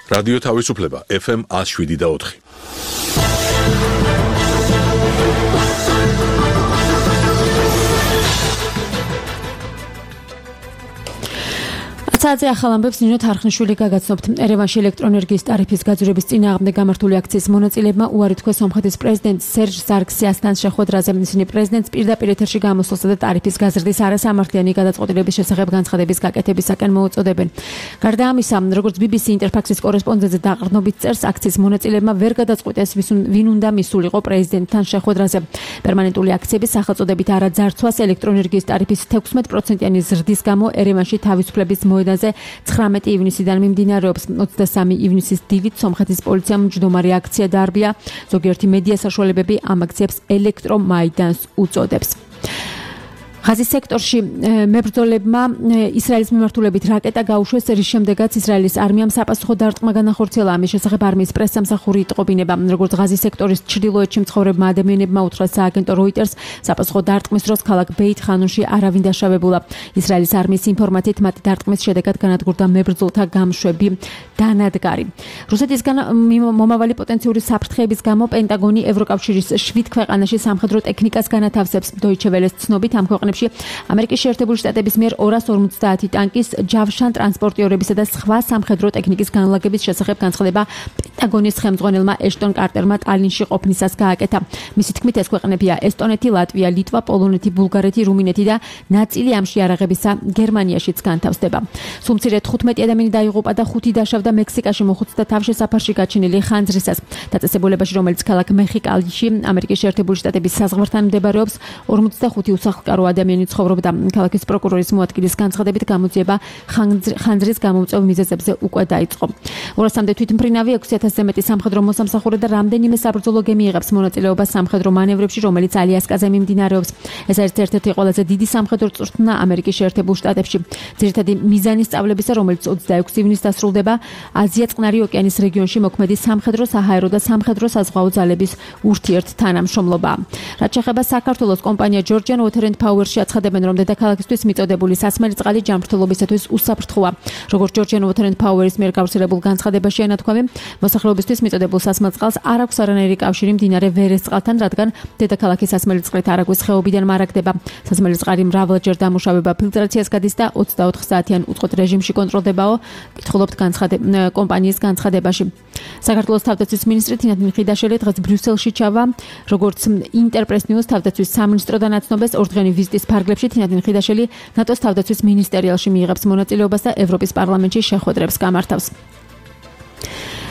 რადიო თავისუფლება FM 107.4. საათზე ახალ ამბებს ნინო თარხნიშვილი გაგაცნობთ. ერევანში ელექტროენერგიის ტარიფის გაძვირების წინააღმდეგ გამართული აქციის მონაწილეებმა უარი თქვეს სომხეთის პრეზიდენტ სერჟ სარქსიასთან შეხვედრაზე. ისინი პრეზიდენტს პირდაპირ ეთერში გამოსვლასა და ტარიფის გაზრდის არასამართლიანი გადაწყვეტილების შესახებ განცხადების გაკეთებისაკენ მოუწოდებენ. გარდა ამისა, როგორც BBC ინტერფაქსის კორესპონდენტზე დაყრდნობით წერს, აქციის მონაწილეებმა ვერ გადაწყვიტეს ვინ უნდა მისულიყო პრეზიდენტთან შეხვედრაზე. პერმანენტული აქციების სახელწოდებით არაძარცვას ელექტროენერგიის ტარიფის 16%-იანი ზრდის გამო ერევანში თავისუფლების მოედანზე 19 ივნისიდან მიმდინარეობს. 23 ივნისის დილით სომხეთის პოლიციამ მჯდომარე აქცია დაარბია. ზოგიერთი მედია საშუალებები ამ აქციებს ელექტრომაიდანს უწოდებს. ღაზის სექტორში მებრძოლებმა ისრაელის მიმართულებით რაკეტა გაუშვეს, რის შემდეგაც ისრაელის არმიამ საპასუხო დარტყმა განახორციელა. ამის შესახებ არმიის პრესსამსახური იტყობინება. როგორც ღაზის სექტორის ჩრდილოეთში მცხოვრებმა ადამიანებმა უთხრეს სააგენტო როიტერს, საპასუხო დარტყმის დროს ქალაქ ბეით ხანუნში არავინ დაშავებულა. ისრაელის არმიის ინფორმაციით მათი დარტყმის შედეგად განადგურდა მებრძოლთა გამშვები დანადგარი. რუსეთისგან მომავალი პოტენციური საფრთხეების გამო პენტაგონი ევროკავშირის 7 ქვეყანაში სამხედრო ტექნიკას განათავსებს. Deutsche Welle-ს ცნობით ამ ქვეყნებში ამერიკის შეერთებული შტატების მიერ 250 ტანკის, ჯავშან ტრანსპორტიორებისა და სხვა სამხედრო ტექნიკის განლაგების შესახებ განცხადება პენტაგონის ხელმძღვანელმა ეშტონ კარტერმა ტალინში ყოფნისას გააკეთა. მისი თქმით, ეს ქვეყნებია ესტონეთი, ლატვია, ლიტვა, პოლონეთი, ბულგარეთი, რუმინეთი და ნაწილი ამ შეარაღებისა გერმანიაშიც განთავსდება. სულ მცირე 15 ადამიანი დაიღუპა და 5 დაშავდა მექსიკაში მოხუცთა თავშესაფარში გაჩენილი ხანძრისას. დაწესებულებაში, რომელიც ქალაქ მეხიკალში, ამერიკის შეერთებული შტატების საზღვართან მდებარეობს, 45 უსახლკარო ადამიანი ცხოვრობდა. ქალაქის პროკურორის მოადგილის განცხადებით გამოძიება ხანძრის გამომწვევ მიზეზებზე უკვე დაიწყო. 200-მდე თვითმფრინავი, 6000-ზე მეტი სამხედრო მოსამსახურე და რამდენიმე საბრძოლო გემი იღებს მონაწილეობას სამხედრო მანევრებში, რომელიც ალიასკაზე მიმდინარეობს. ეს არის ერთ-ერთი ყველაზე დიდი სამხედრო წვრთნა ამერიკის შეერთებულ შტატებში. ძირითადი მიზანი სწავლებისა, რომელიც 26 ივნისს დასრულდება, აზია წყნარი ოკეანის რეგიონში მოქმედი სამხედრო, საჰაერო და სამხედრო საზღვაო ძალების ურთიერთთანამშრომლობაა. რაც შეეხება საქართველოს, კომპანია Georgian Water and Power-ში აცხადებენ, რომ დედაქალაქისთვის მიწოდებული სასმელი წყალი ჯანმრთელობისათვის უსაფრთხოა. როგორც Georgian Water and Power-ის მიერ გავრცელებულ განცხადებაში ენათქვამი, მოსახლეობისთვის მიწოდებულ სასმელ წყალს არ აქვს არანაირი კავშირი მდინარე ვერეს წყალთან, რადგან დედაქალაქის სასმელი წყლით არაგვის ხეობიდან მარაგდება. სასმელი წყალი მრავლადჯერ დამუშავება ფილტრაციას გადის და 24 საათიან უწყვეტ რეჟიმში კონტროლდებაო, კითხულობთ კომპანიის განცხადებაში. საქართველოს თავდაცვის მინისტრი თინათინ ხიდაშელი დღეს ბრიუსელში ჩავა, როგორც ინტერპრეს ნიუს თავდაცვის სამინისტროდან აცნობეს, ორდღიანი ვიზიტის ფარგლებში თინათინ ხიდაშელი ნატოს თავდაცვის მინისტერიალში მიიღებს მონაწილეობას და ევროპის პარლამენტში შეხვედრებს გამართავს.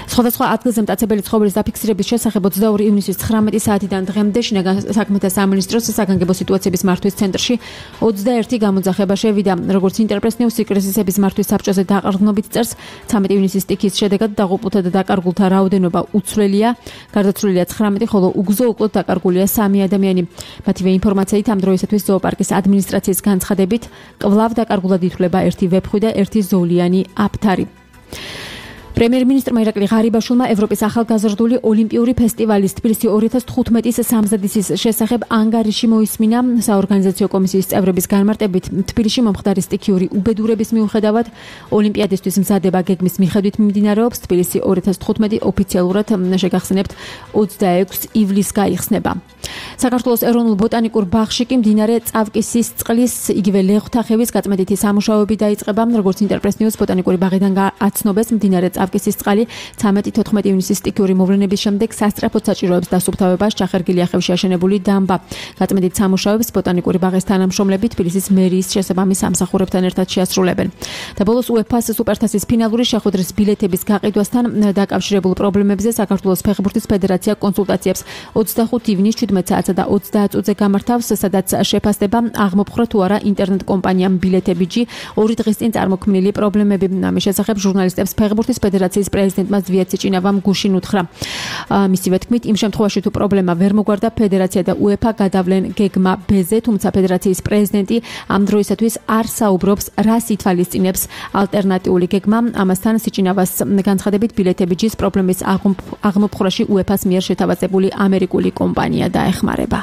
სხვადასხვა ადგილზე მტაცებელი ცხოველის დაფიქსირების შესახებ 22 ივნისის 19 საათიდან დღემდე შინაგან საქმეთა სამინისტროს საგანგებო სიტუაციების მართვის ცენტრში 21 გამოძახება შევიდა. როგორც ინტერპრეს ნიუს კრიზისების მართვის საბჭოზე დაყრდნობით წერს, 13 ივნისის სტიქის შედეგად დაღუპულთა და დაკარგულთა რაოდენობა უცვლელია. გარდაცვლილია 19, ხოლო უგზო უკლოდ დაკარგულია 3 ადამიანი. მათივე ინფორმაციით ამ დროისათვის ზოოპარკის ადმინისტრაციის განცხადებით კვლავ დაკარგულად ითვლება 1 ვეფხვი და 1 ზოლიანი აფთარი. პრემიერ-მინისტრმა ირაკლი ღარიბაშვილმა ევროპის ახალგაზრდული ოლიმპიური ფესტივალის თბილისი 2015-ის სამზადისის შესახებ ანგარიში მოისმინა. საორგანიზაციო კომისიის წევრების განმარტებით, თბილისში მომხდარი სტიქიური უბედურების მიუხედავად ოლიმპიადისთვის მზადება გეგმის მიხედვით მიმდინარეობს. თბილისი 2015 ოფიციალურად შეგახსენებთ 26 ივლისს გაიხსნება. საქართველოს ეროვნულ ბოტანიკურ ბაღში კი მდინარე წავკისის წყლის, იგივე ლეღვთახევის გაწმენდითი სამუშაოები დაიწყება. როგორც ინტერპრეს ნიუს ბოტანიკური ბაღიდან აცნობეს, მდინარე წავკისის წყალი 13-14 ივნისის სტიქიური მოვლენების შემდეგ სასწრაფოდ საჭიროებს დასუფთავებას ჩახერგილი ახევში აშენებული დამბა. გაწმენდით სამუშაოებს ბოტანიკური ბაღის თანამშრომლები თბილისის მერიის შესაბამის სამსახურებთან ერთად შეასრულებენ. და ბოლოს UEFA-ს სუპერთასის ფინალური შეხვედრის ბილეთების გაყიდვასთან დაკავშირებულ პრობლემებზე საქართველოს ფეხბურთის ფედერაცია კონსულტაციებს 25 ივნისს 17 საათსა და 30 წუთზე გამართავს, სადაც შეფასდება აღმოფხვრა თუ არა ინტერნეტ კომპანიამ ბილეთებიჯი 2 დღის წინ წარმოქმნილი პრობლემები. ამის შესახებ ჟურნალისტებს ფეხბურთის ფედერაციის პრეზიდენტმა ზვიად სიჭინავამ გუშინ უთხრა. მისივე თქმით, იმ შემთხვევაში თუ პრობლემა ვერ მოგვარდა, ფედერაცია და UEFA გადავლენ გეგმა B-ზე, თუმცა ფედერაციის პრეზიდენტი ამ დროისათვის არ საუბრობს, რას ითვალისწინებს ალტერნატიული გეგმა. ამასთან სიჭინავას განცხადებით, ბილეთებიჯის პრობლემის აღმოფხვრაში UEFA-ს მიერ შეთავაზებული ამერიკული კომპანია დაეხმარება.